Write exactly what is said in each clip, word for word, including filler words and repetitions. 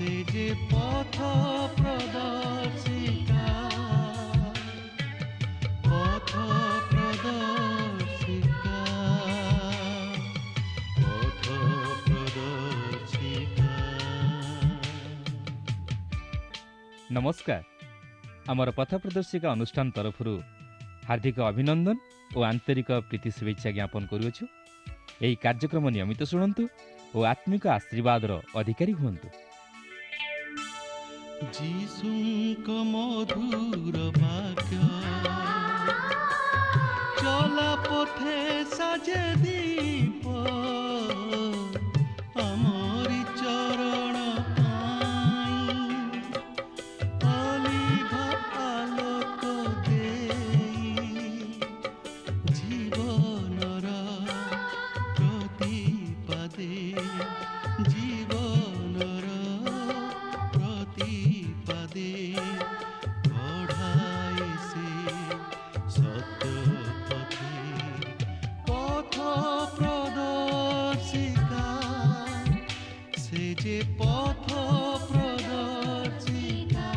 ସେ ଯେ ପଥ ପ୍ରଦର୍ଶିକା, ପଥ ପ୍ରଦର୍ଶିକା, ପଥ ପ୍ରଦର୍ଶିକା। ନମସ୍କାର। ଆମର ପଥ ପ୍ରଦର୍ଶିକା ଅନୁଷ୍ଠାନ ତରଫରୁ ହାର୍ଦ୍ଦିକ ଅଭିନନ୍ଦନ ଓ ଆନ୍ତରିକ ପ୍ରୀତି ଶୁଭେଚ୍ଛା ଜ୍ଞାପନ କରୁଅଛୁ। ଏହି କାର୍ଯ୍ୟକ୍ରମ ନିୟମିତ ଶୁଣନ୍ତୁ ଓ ଆତ୍ମିକ ଆଶୀର୍ବାଦର ଅଧିକାରୀ ହୁଅନ୍ତୁ। ଯୀଶୁଙ୍କ ମଧୁର ବାକ୍ୟ ଚଲା ପଥେ ସାଜେ ଦୀପ, ଆମରି ଚରଣ ପାଇଁ ଅଲିଭା ଆଲୋକ ଦେଇ, ଜୀବନର ପ୍ରତିପାଦେ, ଜୀବନର ପ୍ରତିପାଦେ କଢ଼ାଏ ସେ ସତ୍ୟ ପଥେ। ପଥ ପ୍ରଦର୍ଶିକା, ସେ ଯେ ପଥ ପ୍ରଦର୍ଶିକା।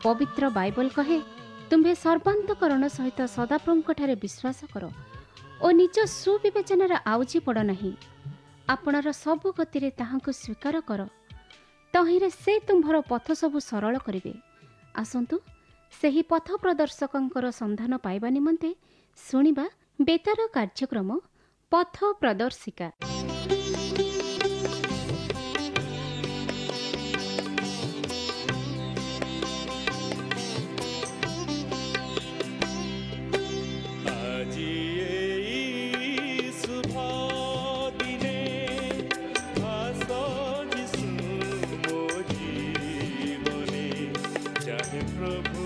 ପବିତ୍ର ବାଇବଲ କହେ, ତୁମ୍ଭେ ସର୍ବାନ୍ତକରଣ ସହିତ ସଦାପ୍ରଭୁଙ୍କଠାରେ ବିଶ୍ୱାସ କର ଓ ନିଜ ସୁବିବେଚନାରେ ଆଉଜି ପଡ଼ ନାହିଁ। ଆପଣର ସବୁ ଗତିରେ ତାହାଙ୍କୁ ସ୍ୱୀକାର କର, ତହିଁରେ ସେ ତୁମ୍ଭର ପଥ ସବୁ ସରଳ କରିବେ। ଆସନ୍ତୁ ସେହି ପଥ ପ୍ରଦର୍ଶକଙ୍କର ସନ୍ଧାନ ପାଇବା ନିମନ୍ତେ ଶୁଣିବା ବେତାର କାର୍ଯ୍ୟକ୍ରମ ପଥ ପ୍ରଦର୍ଶିକା। ଆଜି ଏଇ ଶୁଭ ଦିନେ ଆସ ଯୀଶୁ ମୋ ଜୀବନେ, ଚାହେଁ ପ୍ରଭୁ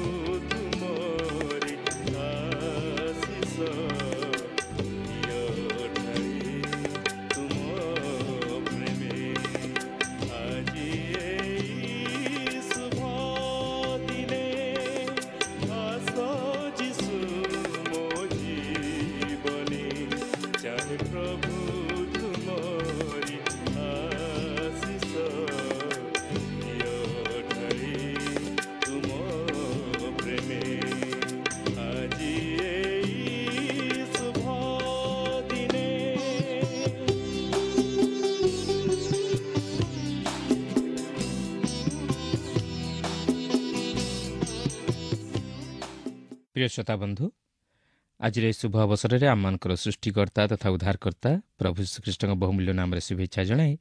ତୁମରି ଆଶିଷ ଦିଅ ଢାଳି ତୁମ ପ୍ରେମେ। ଆଜି ଏଇ ଶୁଭ ଦିନେ ଆସ ଯୀଶୁ ମୋ ଜୀବନେ, ଚାହେଁ ପ୍ରଭୁ ତୁମରି ଆଶିଷ ଦିଅ ଢାଳି ତୁମ ପ୍ରେମେ। ଆଜି ଏଇ ଶୁଭ ଦିନେ। ପ୍ରିୟ ଶ୍ରୋତା ବନ୍ଧୁ, ଆଜିର ଏହି ଶୁଭ ଅବସରରେ ଆମମାନଙ୍କର ସୃଷ୍ଟିକର୍ତ୍ତା ତଥା ଉଦ୍ଧାରକର୍ତ୍ତା ପ୍ରଭୁ ଯୀଶୁଖ୍ରୀଷ୍ଟଙ୍କ ବହୁମୂଲ୍ୟ ନାମରେ ଶୁଭେଚ୍ଛା ଜଣାଇ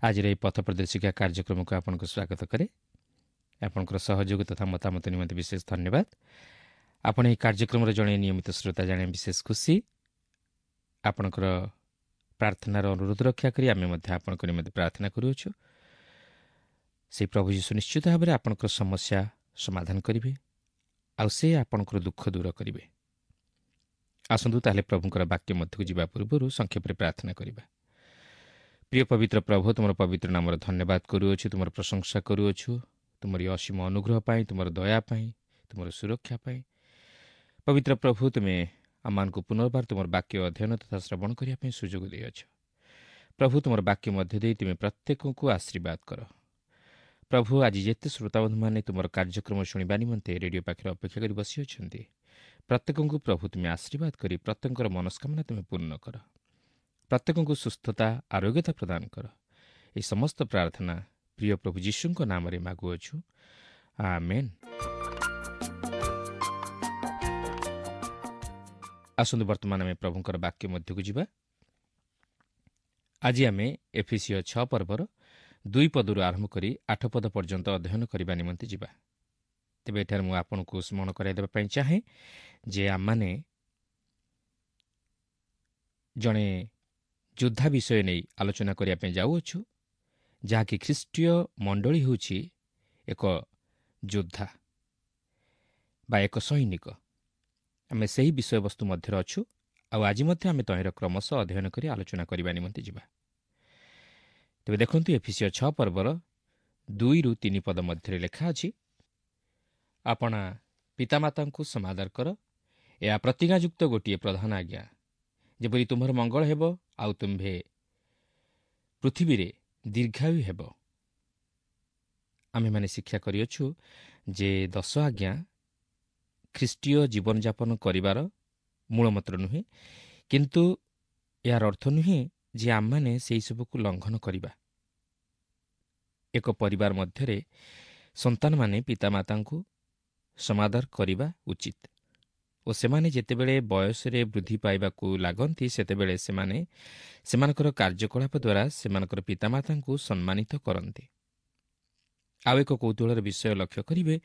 ଆଜିର ଏହି ପଥ ପ୍ରଦର୍ଶିକା କାର୍ଯ୍ୟକ୍ରମକୁ ଆପଣଙ୍କୁ ସ୍ୱାଗତ କରେ। ଆପଣଙ୍କର ସହଯୋଗ ତଥା ମତାମତ ନିମନ୍ତେ ବିଶେଷ ଧନ୍ୟବାଦ। ଆପଣ ଏହି କାର୍ଯ୍ୟକ୍ରମର ଜଣେ ନିୟମିତ ଶ୍ରୋତା ଜାଣି ବିଶେଷ ଖୁସି। ଆପଣଙ୍କର ପ୍ରାର୍ଥନାର ଅନୁରୋଧ ରକ୍ଷା କରି ଆମେ ମଧ୍ୟ ଆପଣଙ୍କ ନିମନ୍ତେ ପ୍ରାର୍ଥନା କରୁଅଛୁ। ସେହି ପ୍ରଭୁ ଯୀଶୁ ନିଶ୍ଚିତ ଭାବରେ ଆପଣଙ୍କର ସମସ୍ୟା ସମାଧାନ କରିବେ ଆଉ ସେ ଆପଣଙ୍କର ଦୁଃଖ ଦୂର କରିବେ। ଆସନ୍ତୁ ତାହେଲେ ପ୍ରଭୁଙ୍କର ବାକ୍ୟ ମଧ୍ୟକୁ ଯିବା ପୂର୍ବରୁ ସଂକ୍ଷେପରେ ପ୍ରାର୍ଥନା କରିବା। ପ୍ରିୟ ପବିତ୍ର ପ୍ରଭୁ, ତୁମର ପବିତ୍ର ନାମର ଧନ୍ୟବାଦ କରୁଅଛୁ, ତୁମର ପ୍ରଶଂସା କରୁଅଛୁ, ତୁମର ଅସୀମ ଅନୁଗ୍ରହ ପାଇଁ, ତୁମର ଦୟା ପାଇଁ, ତୁମର ସୁରକ୍ଷା ପାଇଁ। ପବିତ୍ର ପ୍ରଭୁ, ତୁମେ ଆମମାନଙ୍କୁ ପୁନର୍ବାର ତୁମର ବାକ୍ୟ ଅଧ୍ୟୟନ ତଥା ଶ୍ରବଣ କରିବା ପାଇଁ ସୁଯୋଗ ଦେଇଅଛ। ପ୍ରଭୁ, ତୁମର ବାକ୍ୟ ମଧ୍ୟ ଦେଇ ତୁମେ ପ୍ରତ୍ୟେକଙ୍କୁ ଆଶୀର୍ବାଦ କର। ପ୍ରଭୁ, ଆଜି ଯେତେ ଶ୍ରୋତାବନ୍ଧୁମାନେ ତୁମର କାର୍ଯ୍ୟକ୍ରମ ଶୁଣିବା ନିମନ୍ତେ ରେଡ଼ିଓ ପାଖରେ ଅପେକ୍ଷା କରି ବସିଅଛନ୍ତି, ପ୍ରତ୍ୟେକଙ୍କୁ ପ୍ରଭୁ ତୁମେ ଆଶୀର୍ବାଦ କରି ପ୍ରତ୍ୟେକଙ୍କର ମନସ୍କାମନା ତୁମେ ପୂର୍ଣ୍ଣ କର। ପ୍ରତ୍ୟେକଙ୍କୁ ସୁସ୍ଥତା ଆରୋଗ୍ୟତା ପ୍ରଦାନ କର। ଏହି ସମସ୍ତ ପ୍ରାର୍ଥନା ପ୍ରିୟ ପ୍ରଭୁ ଯୀଶୁଙ୍କ ନାମରେ ମାଗୁଅଛୁ, ଆମେନ୍। ଆସନ୍ତୁ ବର୍ତ୍ତମାନ ଆମେ ପ୍ରଭୁଙ୍କର ବାକ୍ୟ ମଧ୍ୟକୁ ଯିବା। ଆଜି ଆମେ ଏଫିସୀୟ ଛଅ ପର୍ବର ଦୁଇ ପଦରୁ ଆରମ୍ଭ କରି ଆଠ ପଦ ପର୍ଯ୍ୟନ୍ତ ଅଧ୍ୟୟନ କରିବା ନିମନ୍ତେ ଯିବା। ତେବେ ଏଠାରେ ମୁଁ ଆପଣଙ୍କୁ ସ୍ମରଣ କରାଇ ଦେବା ପାଇଁ ଚାହେଁ ଯେ ଆମମାନେ ଜଣେ ଯୋଦ୍ଧା ବିଷୟ ନେଇ ଆଲୋଚନା କରିବା ପାଇଁ ଯାଉଅଛୁ, ଯାହାକି ଖ୍ରୀଷ୍ଟୀୟ ମଣ୍ଡଳୀ ହେଉଛି ଏକ ଯୋଦ୍ଧା ବା ଏକ ସୈନିକ। ଆମେ ସେହି ବିଷୟବସ୍ତୁ ମଧ୍ୟରେ ଅଛୁ ଆଉ ଆଜି ମଧ୍ୟ ଆମେ ତହିଁର କ୍ରମଶଃ ଅଧ୍ୟୟନ କରି ଆଲୋଚନା କରିବା ନିମନ୍ତେ ଯିବା। ତେବେ ଦେଖନ୍ତୁ, ଏଫିସୀୟ ଛଅ ପର୍ବର ଦୁଇରୁ ତିନି ପଦ ମଧ୍ୟରେ ଲେଖା ଅଛି, ଆପଣା ପିତାମାତାଙ୍କୁ ସମାଦର କର, ଏହା ପ୍ରତିଜ୍ଞାଯୁକ୍ତ ଗୋଟିଏ ପ୍ରଧାନ ଆଜ୍ଞା, ଯେପରି ତୁମ୍ଭର ମଙ୍ଗଳ ହେବ ଆଉ ତୁମ୍ଭେ ପୃଥିବୀରେ ଦୀର୍ଘାୟୁ ହେବ। ଆମେମାନେ ଶିକ୍ଷା କରିଅଛୁ ଯେ ଦଶ ଆଜ୍ଞା ଖ୍ରୀଷ୍ଟୀୟ ଜୀବନଯାପନ କରିବାର ମୂଳମନ୍ତ୍ର ନୁହେଁ, କିନ୍ତୁ ଏହାର ଅର୍ଥ ନୁହେଁ ଯେ ଆମମାନେ ସେହିସବୁକୁ ଲଙ୍ଘନ କରିବା। ଏକ ପରିବାର ମଧ୍ୟରେ ସନ୍ତାନମାନେ ପିତାମାତାଙ୍କୁ ସମାଦର କରିବା ଉଚିତ ଓ ସେମାନେ ଯେତେବେଳେ ବୟସରେ ବୃଦ୍ଧି ପାଇବାକୁ ଲାଗନ୍ତି ସେତେବେଳେ ସେମାନେ ସେମାନଙ୍କର କାର୍ଯ୍ୟକଳାପ ଦ୍ୱାରା ସେମାନଙ୍କର ପିତାମାତାଙ୍କୁ ସମ୍ମାନିତ କରନ୍ତି। ଆଉ ଏକ କୌତୂହଳର ବିଷୟ ଲକ୍ଷ୍ୟ କରିବେ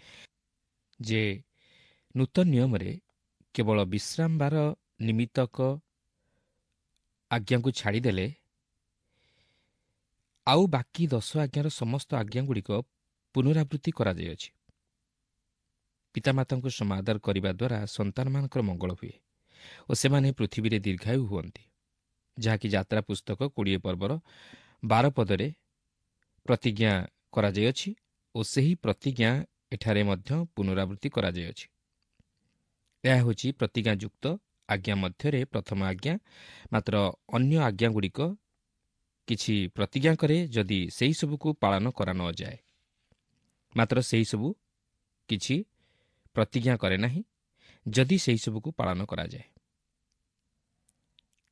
ଯେ ନୂତନ ନିୟମରେ କେବଳ ବିଶ୍ରାମବାର ନିମିତ୍ତକ ଆଜ୍ଞାକୁ ଛାଡ଼ିଦେଲେ ଆଉ ବାକି ଦଶ ଆଜ୍ଞାର ସମସ୍ତ ଆଜ୍ଞାଗୁଡ଼ିକ ପୁନରାବୃତ୍ତି କରାଯାଇଅଛି। ପିତାମାତାଙ୍କୁ ସମାଦର କରିବା ଦ୍ୱାରା ସନ୍ତାନମାନଙ୍କର ମଙ୍ଗଳ ହୁଏ ଓ ସେମାନେ ପୃଥିବୀରେ ଦୀର୍ଘାୟୁ ହୁଅନ୍ତି, ଯାହାକି ଯାତ୍ରା ପୁସ୍ତକ କୋଡ଼ିଏ ପର୍ବର ବାର ପଦରେ ପ୍ରତିଜ୍ଞା କରାଯାଇଅଛି ଓ ସେହି ପ୍ରତିଜ୍ଞା ଏଠାରେ ମଧ୍ୟ ପୁନରାବୃତ୍ତି କରାଯାଇଅଛି। ଏହା ହେଉଛି ପ୍ରତିଜ୍ଞାଯୁକ୍ତ ଆଜ୍ଞା ମଧ୍ୟରେ ପ୍ରଥମ ଆଜ୍ଞା। ମାତ୍ର ଅନ୍ୟ ଆଜ୍ଞାଗୁଡ଼ିକ କିଛି ପ୍ରତିଜ୍ଞା କରେ ଯଦି ସେହିସବୁକୁ ପାଳନ କରାନଯାଏ, ମାତ୍ର ସେହିସବୁ କିଛି ପ୍ରତିଜ୍ଞା କରେ ନାହିଁ ଯଦି ସେହିସବୁକୁ ପାଳନ କରାଯାଏ।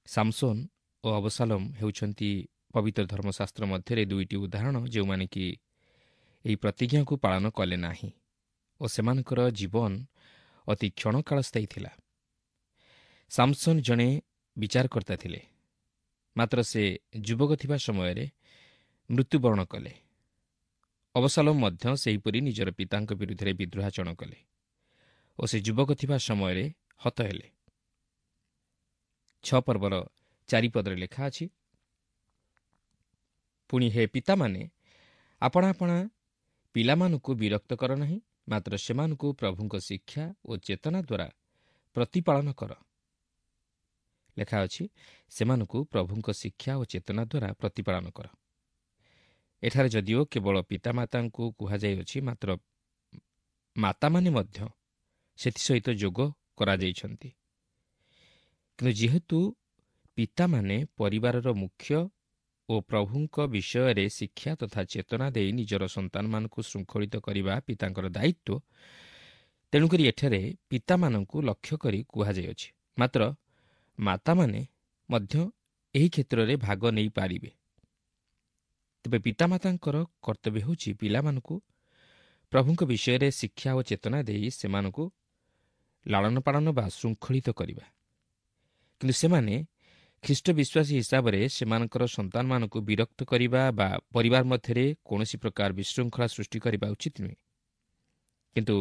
ସାମସୋନ ଓ ଅବସାଲୋମ ହେଉଛନ୍ତି ପବିତ୍ର ଧର୍ମଶାସ୍ତ୍ର ମଧ୍ୟରେ ଦୁଇଟି ଉଦାହରଣ, ଯେଉଁମାନେ କି ଏହି ପ୍ରତିଜ୍ଞାକୁ ପାଳନ କଲେ ନାହିଁ ଓ ସେମାନଙ୍କର ଜୀବନ ଅତି କ୍ଷଣକାଳ ସ୍ଥାୟୀ ଥିଲା। ସାମସନ୍ ଜଣେ ବିଚାରକର୍ତ୍ତା ଥିଲେ, ମାତ୍ର ସେ ଯୁବକ ଥିବା ସମୟରେ ମୃତ୍ୟୁବରଣ କଲେ। ଅବସାଲୋମ ମଧ୍ୟ ସେହିପରି ନିଜର ପିତାଙ୍କ ବିରୁଦ୍ଧରେ ବିଦ୍ରୋହାଚରଣ କଲେ ଓ ସେ ଯୁବକ ଥିବା ସମୟରେ ହତ ହେଲେ। ଛଅ ପର୍ବର ଚାରିପଦରେ ଲେଖା ଅଛି, ପୁଣି ହେ ପିତାମାନେ, ଆପଣା ଆପଣା ପିଲାମାନଙ୍କୁ ବିରକ୍ତ କର ନାହିଁ, ମାତ୍ର ସେମାନଙ୍କୁ ପ୍ରଭୁଙ୍କ ଶିକ୍ଷା ଓ ଚେତନା ଦ୍ୱାରା ପ୍ରତିପାଳନ କର। ଲେଖା ଅଛି, ସେମାନଙ୍କୁ ପ୍ରଭୁଙ୍କ ଶିକ୍ଷା ଓ ଚେତନା ଦ୍ୱାରା ପ୍ରତିପାଳନ କର। ଏଠାରେ ଯଦିଓ କେବଳ ପିତାମାତାଙ୍କୁ କୁହାଯାଇଅଛି, ମାତ୍ର ମାତାମାନେ ମଧ୍ୟ ସେଥିସହିତ ଯୋଗ କରାଯାଇଛନ୍ତି। କିନ୍ତୁ ଯେହେତୁ ପିତାମାନେ ପରିବାରର ମୁଖ୍ୟ ଓ ପ୍ରଭୁଙ୍କ ବିଷୟରେ ଶିକ୍ଷା ତଥା ଚେତନା ଦେଇ ନିଜର ସନ୍ତାନମାନଙ୍କୁ ଶୃଙ୍ଖଳିତ କରିବା ପିତାଙ୍କର ଦାୟିତ୍ୱ, ତେଣୁକରି ଏଠାରେ ପିତାମାନଙ୍କୁ ଲକ୍ଷ୍ୟ କରି କୁହାଯାଇଅଛି। ମାତ୍ର ମାତାମାନେ ମଧ୍ୟ ଏହି କ୍ଷେତ୍ରରେ ଭାଗ ନେଇପାରିବେ। ତେବେ ପିତାମାତାଙ୍କର କର୍ତ୍ତବ୍ୟ ହେଉଛି ପିଲାମାନଙ୍କୁ ପ୍ରଭୁଙ୍କ ବିଷୟରେ ଶିକ୍ଷା ଓ ଚେତନା ଦେଇ ସେମାନଙ୍କୁ ଲାଳନ ପାଳନ ବା ଶୃଙ୍ଖଳିତ କରିବା। କିନ୍ତୁ ସେମାନେ ଖ୍ରୀଷ୍ଟ ବିଶ୍ୱାସୀ ହିସାବରେ ସେମାନଙ୍କର ସନ୍ତାନମାନଙ୍କୁ ବିରକ୍ତ କରିବା ବା ପରିବାର ମଧ୍ୟରେ କୌଣସି ପ୍ରକାର ବିଶୃଙ୍ଖଳା ସୃଷ୍ଟି କରିବା ଉଚିତ ନୁହେଁ। କିନ୍ତୁ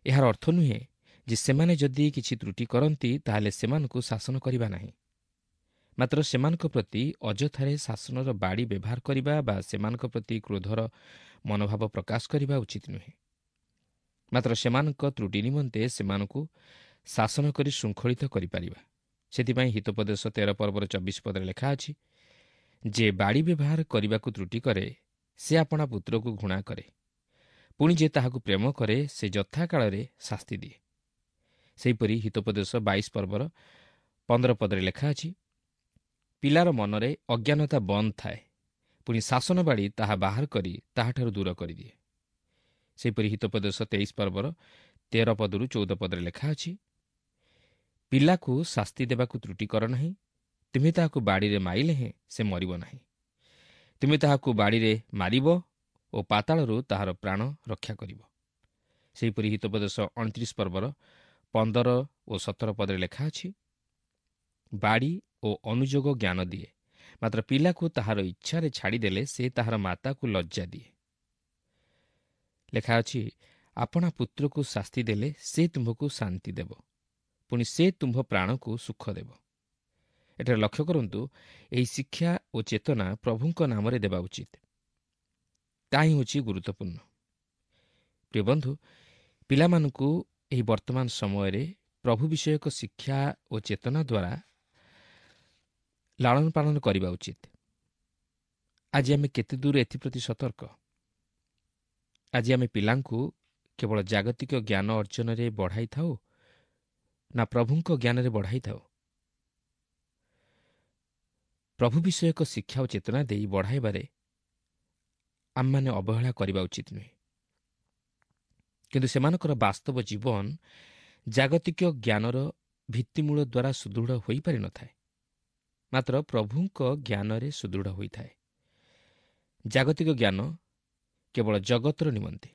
ଏହାର ଅର୍ଥ ନୁହେଁ ଯେ ସେମାନେ ଯଦି କିଛି ତ୍ରୁଟି କରନ୍ତି ତାହେଲେ ସେମାନଙ୍କୁ ଶାସନ କରିବା ନାହିଁ, ମାତ୍ର ସେମାନଙ୍କ ପ୍ରତି ଅଯଥାରେ ଶାସନର ବାଡ଼ି ବ୍ୟବହାର କରିବା ବା ସେମାନଙ୍କ ପ୍ରତି କ୍ରୋଧର ମନୋଭାବ ପ୍ରକାଶ କରିବା ଉଚିତ ନୁହେଁ। ମାତ୍ର ସେମାନଙ୍କ ତ୍ରୁଟି ନିମନ୍ତେ ସେମାନଙ୍କୁ ଶାସନ କରି ଶୃଙ୍ଖଳିତ କରିପାରିବା। ସେଥିପାଇଁ ହିତୋପଦେଶ ତେର ପର୍ବର ଚବିଶ ପଦରେ ଲେଖା ଅଛି ଯେ ବାଡ଼ି ବ୍ୟବହାର କରିବାକୁ ତ୍ରୁଟି କରେ ସେ ଆପଣା ପୁତ୍ରକୁ ଘୃଣା କରେ, ପୁଣି ଯେ ତାହାକୁ ପ୍ରେମ କରେ ସେ ଯଥାକାଳରେ ଶାସ୍ତି ଦିଏ। ସେହିପରି ହିତୋପଦେଶ ବାଇଶ ପର୍ବର ପନ୍ଦର ପଦରେ ଲେଖା ଅଛି, ପିଲାର ମନରେ ଅଜ୍ଞାନତା ବନ୍ଦ ଥାଏ, ପୁଣି ଶାସନ ବାଡ଼ି ତାହା ବାହାର କରି ତାହାଠାରୁ ଦୂର କରିଦିଏ। ସେହିପରି ହିତୋପଦେଶ ତେଇଶ ପର୍ବର ତେର ପଦରୁ ଚଉଦ ପଦରେ ଲେଖା ଅଛି, ପିଲାକୁ ଶାସ୍ତି ଦେବାକୁ ତ୍ରୁଟି କର ନାହିଁ, ତୁମେ ତାହାକୁ ବାଡ଼ିରେ ମାରିଲେ ହେଁ ସେ ମରିବ ନାହିଁ, ତୁମେ ତାହାକୁ ବାଡ଼ିରେ ମାରିବ ଓ ପାତାଳରୁ ତାହାର ପ୍ରାଣ ରକ୍ଷା କରିବ। ସେହିପରି ହିତୋପଦେଶ ଅଣତିରିଶ ପର୍ବର ପନ୍ଦର ଓ ସତର ପଦରେ ଲେଖା ଅଛି, ବାଡ଼ି ଓ ଅନୁଯୋଗ ଜ୍ଞାନ ଦିଏ, ମାତ୍ର ପିଲାକୁ ତାହାର ଇଚ୍ଛାରେ ଛାଡ଼ିଦେଲେ ସେ ତାହାର ମାତାକୁ ଲଜ୍ଜା ଦିଏ। ଲେଖା ଅଛି, ଆପଣା ପୁତ୍ରକୁ ଶାସ୍ତି ଦେଲେ ସେ ତୁମ୍ଭକୁ ଶାନ୍ତି ଦେବ, ପୁଣି ସେ ତୁମ୍ଭ ପ୍ରାଣକୁ ସୁଖ ଦେବ। ଏଠାରେ ଲକ୍ଷ୍ୟ କରନ୍ତୁ, ଏହି ଶିକ୍ଷା ଓ ଚେତନା ପ୍ରଭୁଙ୍କ ନାମରେ ଦେବା ଉଚିତ, ତାହା ହିଁ ହେଉଛି ଗୁରୁତ୍ୱପୂର୍ଣ୍ଣ। ପ୍ରିୟ ବନ୍ଧୁ, ପିଲାମାନଙ୍କୁ ଏହି ବର୍ତ୍ତମାନ ସମୟରେ ପ୍ରଭୁ ବିଷୟକ ଶିକ୍ଷା ଓ ଚେତନା ଦ୍ୱାରା ଲାଳନ ପାଳନ କରିବା ଉଚିତ। ଆଜି ଆମେ କେତେ ଦୂର ଏଥିପ୍ରତି ସତର୍କ? ଆଜି ଆମେ ପିଲାଙ୍କୁ କେବଳ ଜାଗତିକ ଜ୍ଞାନ ଅର୍ଜନରେ ବଢ଼ାଇଥାଉ ନା ପ୍ରଭୁଙ୍କ ଜ୍ଞାନରେ ବଢ଼ାଇଥାଉ? ପ୍ରଭୁ ବିଷୟକ ଶିକ୍ଷା ଓ ଚେତନା ଦେଇ ବଢ଼ାଇବାରେ ଆମମାନେ ଅବହେଳା କରିବା ଉଚିତ ନୁହେଁ। କିନ୍ତୁ ସେମାନଙ୍କର ବାସ୍ତବ ଜୀବନ ଜାଗତିକ ଜ୍ଞାନର ଭିତ୍ତିମୂଳ ଦ୍ୱାରା ସୁଦୃଢ଼ ହୋଇପାରିନଥାଏ, ମାତ୍ର ପ୍ରଭୁଙ୍କ ଜ୍ଞାନରେ ସୁଦୃଢ଼ ହୋଇଥାଏ। ଜାଗତିକ ଜ୍ଞାନ କେବଳ ଜଗତର ନିମନ୍ତେ,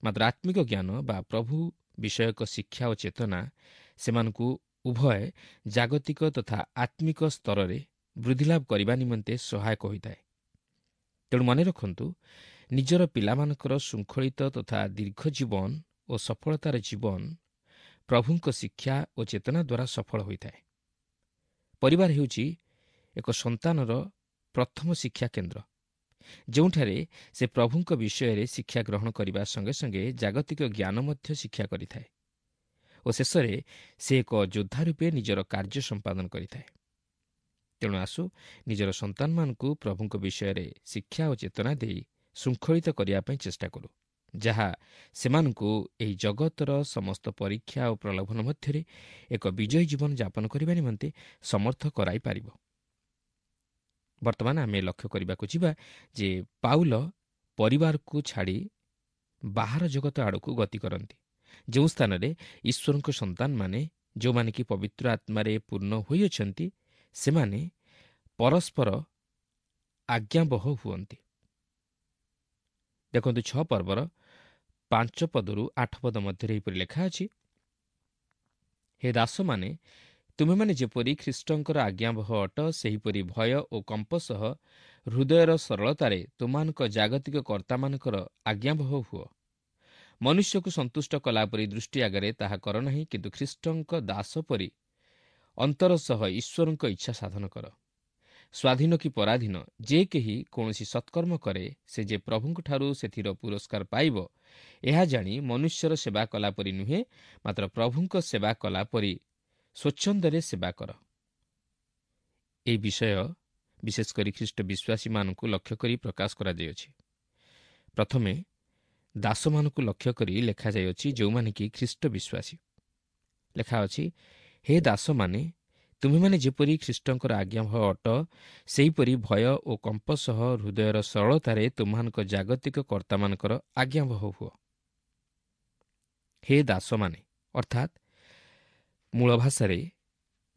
ମାତ୍ର ଆତ୍ମିକ ଜ୍ଞାନ ବା ପ୍ରଭୁ ବିଷୟକ ଶିକ୍ଷା ଓ ଚେତନା ସେମାନଙ୍କୁ ଉଭୟ ଜାଗତିକ ତଥା ଆତ୍ମିକ ସ୍ତରରେ ବୃଦ୍ଧିଲାଭ କରିବା ନିମନ୍ତେ ସହାୟକ ହୋଇଥାଏ। ତେଣୁ ମନେ ରଖନ୍ତୁ, ନିଜର ପିଲାମାନଙ୍କର ଶୃଙ୍ଖଳିତ ତଥା ଦୀର୍ଘ ଜୀବନ ଓ ସଫଳତାର ଜୀବନ ପ୍ରଭୁଙ୍କ ଶିକ୍ଷା ଓ ଚେତନା ଦ୍ୱାରା ସଫଳ ହୋଇଥାଏ। ପରିବାର ହେଉଛି ଏକ ସନ୍ତାନର ପ୍ରଥମ ଶିକ୍ଷା କେନ୍ଦ୍ର, ଯେଉଁଠାରେ ସେ ପ୍ରଭୁଙ୍କ ବିଷୟରେ ଶିକ୍ଷା ଗ୍ରହଣ କରିବା ସଙ୍ଗେ ସଙ୍ଗେ ଜାଗତିକ ଜ୍ଞାନ ମଧ୍ୟ ଶିକ୍ଷା କରିଥାଏ ଓ ଶେଷରେ ସେ ଏକ ଯୋଦ୍ଧା ରୂପେ ନିଜର କାର୍ଯ୍ୟ ସମ୍ପାଦନ କରିଥାଏ। ତେଣୁ ଆସୁ ନିଜର ସନ୍ତାନମାନଙ୍କୁ ପ୍ରଭୁଙ୍କ ବିଷୟରେ ଶିକ୍ଷା ଓ ଚେତନା ଦେଇ ଶୃଙ୍ଖଳିତ କରିବା ପାଇଁ ଚେଷ୍ଟା କରୁ, ଯାହା ସେମାନଙ୍କୁ ଏହି ଜଗତର ସମସ୍ତ ପରୀକ୍ଷା ଓ ପ୍ରଲୋଭନ ମଧ୍ୟରେ ଏକ ବିଜୟୀ ଜୀବନ ଯାପନ କରିବା ନିମନ୍ତେ ସମର୍ଥ କରାଇପାରିବ। ବର୍ତ୍ତମାନ ଆମେ ଲକ୍ଷ୍ୟ କରିବାକୁ ଯିବା ଯେ ପାଉଲ ପରିବାରକୁ ଛାଡ଼ି ବାହାର ଜଗତ ଆଡ଼କୁ ଗତି କରନ୍ତି, ଯେଉଁ ସ୍ଥାନରେ ଈଶ୍ୱରଙ୍କ ସନ୍ତାନମାନେ, ଯେଉଁମାନେ କି ପବିତ୍ର ଆତ୍ମାରେ ପୂର୍ଣ୍ଣ ହୋଇଅଛନ୍ତି, ସେମାନେ ପରସ୍ପର ଆଜ୍ଞାବହ ହୁଅନ୍ତି। ଦେଖନ୍ତୁ ଛଅ ପର୍ବର ପାଞ୍ଚ ପଦରୁ ଆଠ ପଦ ମଧ୍ୟରେ ଏହିପରି ଲେଖା ଅଛି, ହେ ଦାସମାନେ, ତୁମେମାନେ ଯେପରି ଖ୍ରୀଷ୍ଟଙ୍କର ଆଜ୍ଞାବହ ଅଟ, ସେହିପରି ଭୟ ଓ କମ୍ପ ସହ ହୃଦୟର ସରଳତାରେ ତୁମମାନଙ୍କ ଜାଗତିକ କର୍ତ୍ତାମାନଙ୍କର ଆଜ୍ଞାବହ ହୁଅ। ମନୁଷ୍ୟକୁ ସନ୍ତୁଷ୍ଟ କଲାପରି ଦୃଷ୍ଟି ଆଗରେ ତାହା କର ନାହିଁ, କିନ୍ତୁ ଖ୍ରୀଷ୍ଟଙ୍କ ଦାସ ପରି ଅନ୍ତର ସହ ଈଶ୍ୱରଙ୍କ ଇଚ୍ଛା ସାଧନ କର। ସ୍ୱାଧୀନ କି ପରାଧୀନ, ଯେ କେହି କୌଣସି ସତ୍କର୍ମ କରେ, ସେ ଯେ ପ୍ରଭୁଙ୍କଠାରୁ ସେଥିର ପୁରସ୍କାର ପାଇବ, ଏହା ଜାଣି ମନୁଷ୍ୟର ସେବା କଲାପରି ନୁହେଁ, ମାତ୍ର ପ୍ରଭୁଙ୍କ ସେବା କଲାପରି ସ୍ୱଚ୍ଛନ୍ଦରେ ସେବା କର। ଏହି ବିଷୟ ବିଶେଷ କରି ଖ୍ରୀଷ୍ଟ ବିଶ୍ୱାସୀମାନଙ୍କୁ ଲକ୍ଷ୍ୟ କରି ପ୍ରକାଶ କରାଯାଇଅଛି। ପ୍ରଥମେ ଦାସମାନଙ୍କୁ ଲକ୍ଷ୍ୟ କରି ଲେଖାଯାଇଅଛି, ଯେଉଁମାନେ କି ଖ୍ରୀଷ୍ଟ ବିଶ୍ୱାସୀ। ଲେଖା ଅଛି, ହେ ଦାସମାନେ, ତୁମେମାନେ ଯେପରି ଖ୍ରୀଷ୍ଟଙ୍କର ଆଜ୍ଞାବହ ଅଟ, ସେହିପରି ଭୟ ଓ କମ୍ପ ସହ ହୃଦୟର ସରଳତାରେ ତୁମମାନଙ୍କ ଜାଗତିକ କର୍ତ୍ତାମାନଙ୍କର ଆଜ୍ଞାବହ ହୁଅ। ହେ ଦାସମାନେ, ଅର୍ଥାତ୍ ମୂଳ ଭାଷାରେ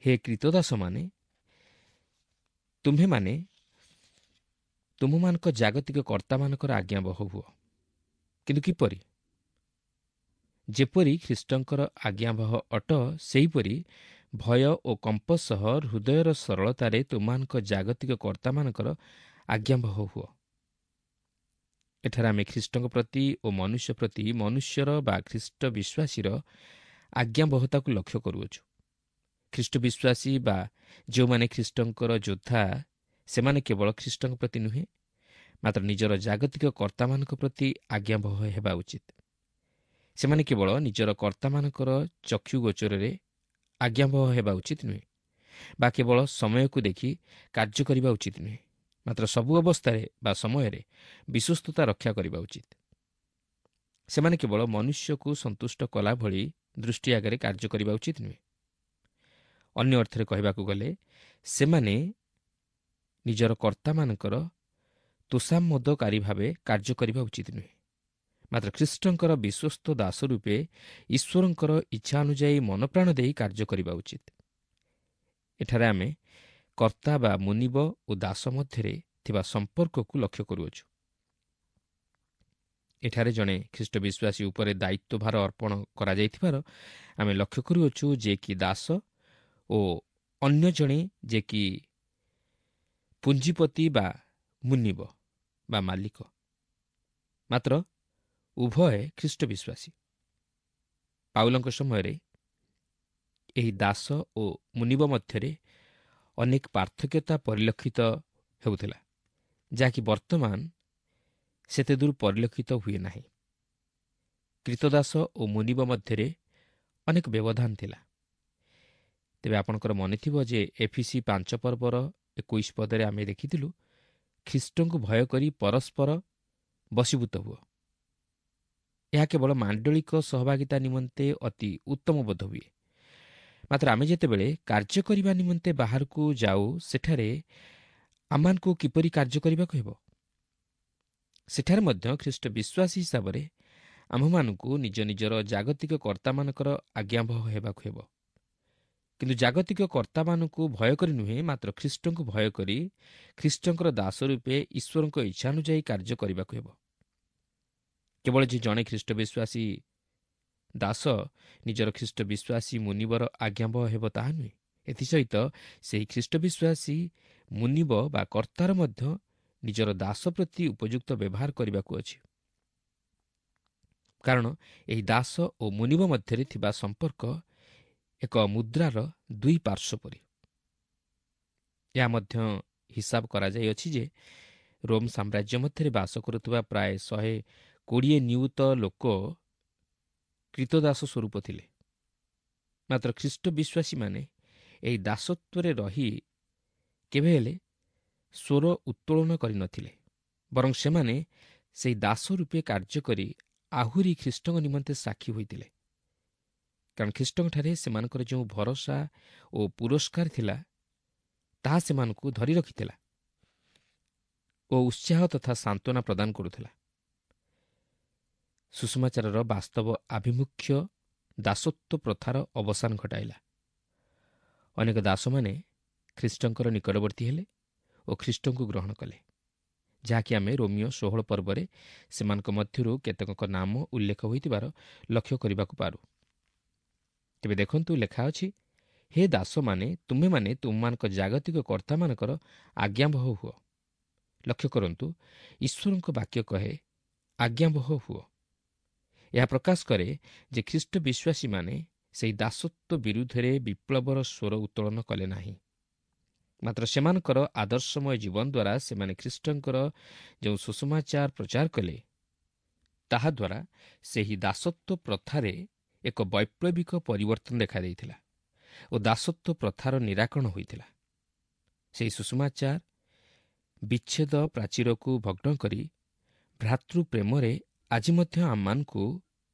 ହେ କ୍ରୀତଦାସମାନେ, ତୁମ୍ଭେମାନେ ତୁମମାନଙ୍କ ଜାଗତିକ କର୍ତ୍ତାମାନଙ୍କର ଆଜ୍ଞାବହ ହୁଅ। କିନ୍ତୁ କିପରି? ଯେପରି ଖ୍ରୀଷ୍ଟଙ୍କର ଆଜ୍ଞାବହ ଅଟ, ସେହିପରି ଭୟ ଓ କମ୍ପ ସହ ହୃଦୟର ସରଳତାରେ ତୁମମାନଙ୍କ ଜାଗତିକ କର୍ତ୍ତାମାନଙ୍କର ଆଜ୍ଞାବହ ହୁଅ। ଏଠାରେ ଆମେ ଖ୍ରୀଷ୍ଟଙ୍କ ପ୍ରତି ଓ ମନୁଷ୍ୟ ପ୍ରତି ମନୁଷ୍ୟର ବା ଖ୍ରୀଷ୍ଟ ବିଶ୍ୱାସୀର ଆଜ୍ଞାବହତାକୁ ଲକ୍ଷ୍ୟ କରୁଅଛୁ। ଖ୍ରୀଷ୍ଟ ବିଶ୍ୱାସୀ ବା ଯେଉଁମାନେ ଖ୍ରୀଷ୍ଟଙ୍କର ଯୋଦ୍ଧା, ସେମାନେ କେବଳ ଖ୍ରୀଷ୍ଟଙ୍କ ପ୍ରତି ନୁହେଁ, ମାତ୍ର ନିଜର ଜାଗତିକ କର୍ତ୍ତାମାନଙ୍କ ପ୍ରତି ଆଜ୍ଞାବହ ହେବା ଉଚିତ। ସେମାନେ କେବଳ ନିଜର କର୍ତ୍ତାମାନଙ୍କର ଚକ୍ଷୁ ଗୋଚରରେ ଆଜ୍ଞାବହ ହେବା ଉଚିତ ନୁହେଁ ବା କେବଳ ସମୟକୁ ଦେଖି କାର୍ଯ୍ୟ କରିବା ଉଚିତ ନୁହେଁ, ମାତ୍ର ସବୁ ଅବସ୍ଥାରେ ବା ସମୟରେ ବିଶ୍ୱସ୍ତତା ରକ୍ଷା କରିବା ଉଚିତ। ସେମାନେ କେବଳ ମନୁଷ୍ୟକୁ ସନ୍ତୁଷ୍ଟ କଲା ଭଳି ଦୃଷ୍ଟି ଆଗରେ କାର୍ଯ୍ୟ କରିବା ଉଚିତ ନୁହେଁ। ଅନ୍ୟ ଅର୍ଥରେ କହିବାକୁ ଗଲେ, ସେମାନେ ନିଜର କର୍ତ୍ତାମାନଙ୍କର ତୋଷାମୋଦକାରୀ ଭାବେ କାର୍ଯ୍ୟ କରିବା ଉଚିତ ନୁହେଁ, ମାତ୍ର ଖ୍ରୀଷ୍ଟଙ୍କର ବିଶ୍ୱସ୍ତ ଦାସ ରୂପେ ଈଶ୍ୱରଙ୍କର ଇଚ୍ଛା ଅନୁଯାୟୀ ମନପ୍ରାଣ ଦେଇ କାର୍ଯ୍ୟ କରିବା ଉଚିତ। ଏଠାରେ ଆମେ କର୍ତ୍ତା ବା ମୁନିବ ଓ ଦାସ ମଧ୍ୟରେ ଥିବା ସମ୍ପର୍କକୁ ଲକ୍ଷ୍ୟ କରୁଅଛୁ। ଏଠାରେ ଜଣେ ଖ୍ରୀଷ୍ଟ ବିଶ୍ୱାସୀ ଉପରେ ଦାୟିତ୍ୱଭାର ଅର୍ପଣ କରାଯାଇଥିବାର ଆମେ ଲକ୍ଷ୍ୟ କରୁଅଛୁ, ଯେ କି ଦାସ ଓ ଅନ୍ୟ ଜଣେ ଯେ କି ପୁଞ୍ଜିପତି ବା ମୁନିବ ବା ମାଲିକ, ମାତ୍ର ଉଭୟ ଖ୍ରୀଷ୍ଟ ବିଶ୍ୱାସୀ। ପାଉଲଙ୍କ ସମୟରେ ଏହି ଦାସ ଓ ମୁନିବ ମଧ୍ୟରେ ଅନେକ ପାର୍ଥକ୍ୟତା ପରିଲକ୍ଷିତ ହେଉଥିଲା, ଯାହାକି ବର୍ତ୍ତମାନ ସେତେ ଦୂର ପରିଲକ୍ଷିତ ହୁଏ ନାହିଁ। କ୍ରୀତଦାସ ଓ ମୁନିବ ମଧ୍ୟରେ ଅନେକ ବ୍ୟବଧାନ ଥିଲା। ତେବେ ଆପଣଙ୍କର ମନେଥିବ ଯେ ଏଫିସି ପାଞ୍ଚ ପର୍ବର ଏକୋଇଶ ପଦରେ ଆମେ ଦେଖିଥିଲୁ, ଖ୍ରୀଷ୍ଟଙ୍କୁ ଭୟ କରି ପରସ୍ପର ବଶୀଭୂତ ହୁଅ। ଏହା କେବଳ ମାଣ୍ଡଳିକ ସହଭାଗିତା ନିମନ୍ତେ ଅତି ଉତ୍ତମ ବୋଧ ହୁଏ, ମାତ୍ର ଆମେ ଯେତେବେଳେ କାର୍ଯ୍ୟ କରିବା ନିମନ୍ତେ ବାହାରକୁ ଯାଉ, ସେଠାରେ ଆମମାନଙ୍କୁ କିପରି କାର୍ଯ୍ୟ କରିବାକୁ ହେବ। ସେଠାରେ ମଧ୍ୟ ଖ୍ରୀଷ୍ଟ ବିଶ୍ୱାସୀ ହିସାବରେ ଆମ୍ଭମାନଙ୍କୁ ନିଜ ନିଜର ଜାଗତିକ କର୍ତ୍ତାମାନଙ୍କର ଆଜ୍ଞାବହ ହେବାକୁ ହେବ। କିନ୍ତୁ ଜାଗତିକ କର୍ତ୍ତାମାନଙ୍କୁ ଭୟ କରି ନୁହେଁ, ମାତ୍ର ଖ୍ରୀଷ୍ଟଙ୍କୁ ଭୟ କରି ଖ୍ରୀଷ୍ଟଙ୍କର ଦାସ ରୂପେ ଈଶ୍ୱରଙ୍କ ଇଚ୍ଛାନୁଯାୟୀ କାର୍ଯ୍ୟ କରିବାକୁ ହେବ। କେବଳ ଯେ ଜଣେ ଖ୍ରୀଷ୍ଟ ବିଶ୍ୱାସୀ ଦାସ ନିଜର ଖ୍ରୀଷ୍ଟ ବିଶ୍ୱାସୀ ମୁନିବର ଆଜ୍ଞାବହ ହେବ ତାହା ନୁହେଁ, ଏଥିସହିତ ସେହି ଖ୍ରୀଷ୍ଟ ବିଶ୍ୱାସୀ ମୁନିବ ବା କର୍ତ୍ତାର ମଧ୍ୟ ନିଜର ଦାସ ପ୍ରତି ଉପଯୁକ୍ତ ବ୍ୟବହାର କରିବାକୁ ଅଛି। କାରଣ ଏହି ଦାସ ଓ ମୁନିବ ମଧ୍ୟରେ ଥିବା ସମ୍ପର୍କ ଏକ ମୁଦ୍ରାର ଦୁଇ ପାର୍ଶ୍ୱ ପରି। ଏହା ମଧ୍ୟ ହିସାବ କରାଯାଇଅଛି ଯେ ରୋମ୍ ସାମ୍ରାଜ୍ୟ ମଧ୍ୟରେ ବାସ କରୁଥିବା ପ୍ରାୟ ଶହେ କୋଡ଼ିଏ ନିୟୁତ ଲୋକ କ୍ରୀତଦାସ ସ୍ୱରୂପ ଥିଲେ। ମାତ୍ର ଖ୍ରୀଷ୍ଟ ବିଶ୍ୱାସୀମାନେ ଏହି ଦାସତ୍ୱରେ ରହି କେବେ ହେଲେ ସ୍ୱର ଉତ୍ତୋଳନ କରିନଥିଲେ, ବରଂ ସେମାନେ ସେହି ଦାସ ରୂପେ କାର୍ଯ୍ୟ କରି ଆହୁରି ଖ୍ରୀଷ୍ଟଙ୍କ ନିମନ୍ତେ ସାକ୍ଷୀ ହୋଇଥିଲେ। କାରଣ ଖ୍ରୀଷ୍ଟଙ୍କଠାରେ ସେମାନଙ୍କର ଯେଉଁ ଭରସା ଓ ପୁରସ୍କାର ଥିଲା ତାହା ସେମାନଙ୍କୁ ଧରି ରଖିଥିଲା ଓ ଉତ୍ସାହ ତଥା ସାନ୍ତ୍ୱନା ପ୍ରଦାନ କରୁଥିଲା। ସୁଷମାଚାରର ବାସ୍ତବ ଆଭିମୁଖ୍ୟ ଦାସତ୍ୱ ପ୍ରଥାର ଅବସାନ ଘଟାଇଲା। ଅନେକ ଦାସମାନେ ଖ୍ରୀଷ୍ଟଙ୍କର ନିକଟବର୍ତ୍ତୀ ହେଲେ ଓ ଖ୍ରୀଷ୍ଟଙ୍କୁ ଗ୍ରହଣ କଲେ, ଯାହାକି ଆମେ ରୋମିଓ ଷୋହଳ ପର୍ବରେ ସେମାନଙ୍କ ମଧ୍ୟରୁ କେତେକଙ୍କ ନାମ ଉଲ୍ଲେଖ ହୋଇଥିବାର ଲକ୍ଷ୍ୟ କରିବାକୁ ପାରୁ। ତେବେ ଦେଖନ୍ତୁ, ଲେଖା ଅଛି, ହେ ଦାସମାନେ, ତୁମେମାନେ ତୁମମାନଙ୍କ ଜାଗତିକ କର୍ତ୍ତାମାନଙ୍କର ଆଜ୍ଞାବହ ହୁଅ। ଲକ୍ଷ୍ୟ କରନ୍ତୁ, ଈଶ୍ୱରଙ୍କ ବାକ୍ୟ କହେ ଆଜ୍ଞାବହ ହୁଅ। ଏହା ପ୍ରକାଶ କରେ ଯେ ଖ୍ରୀଷ୍ଟ ବିଶ୍ୱାସୀମାନେ ସେହି ଦାସତ୍ୱ ବିରୁଦ୍ଧରେ ବିପ୍ଳବର ସ୍ୱର ଉତ୍ତୋଳନ କଲେ ନାହିଁ, ମାତ୍ର ସେମାନଙ୍କର ଆଦର୍ଶମୟ ଜୀବନ ଦ୍ୱାରା ସେମାନେ ଖ୍ରୀଷ୍ଟଙ୍କର ଯେଉଁ ସୁସମାଚାର ପ୍ରଚାର କଲେ ତାହାଦ୍ୱାରା ସେହି ଦାସତ୍ୱ ପ୍ରଥାରେ ଏକ ବୈପ୍ଳବିକ ପରିବର୍ତ୍ତନ ଦେଖାଦେଇଥିଲା ଓ ଦାସତ୍ୱ ପ୍ରଥାର ନିରାକରଣ ହୋଇଥିଲା। ସେହି ସୁସମାଚାର ବିଚ୍ଛେଦ ପ୍ରାଚୀରକୁ ଭଗ୍ନ କରି ଭ୍ରାତୃପ୍ରେମରେ ଆଜି ମଧ୍ୟ ଆମମାନଙ୍କୁ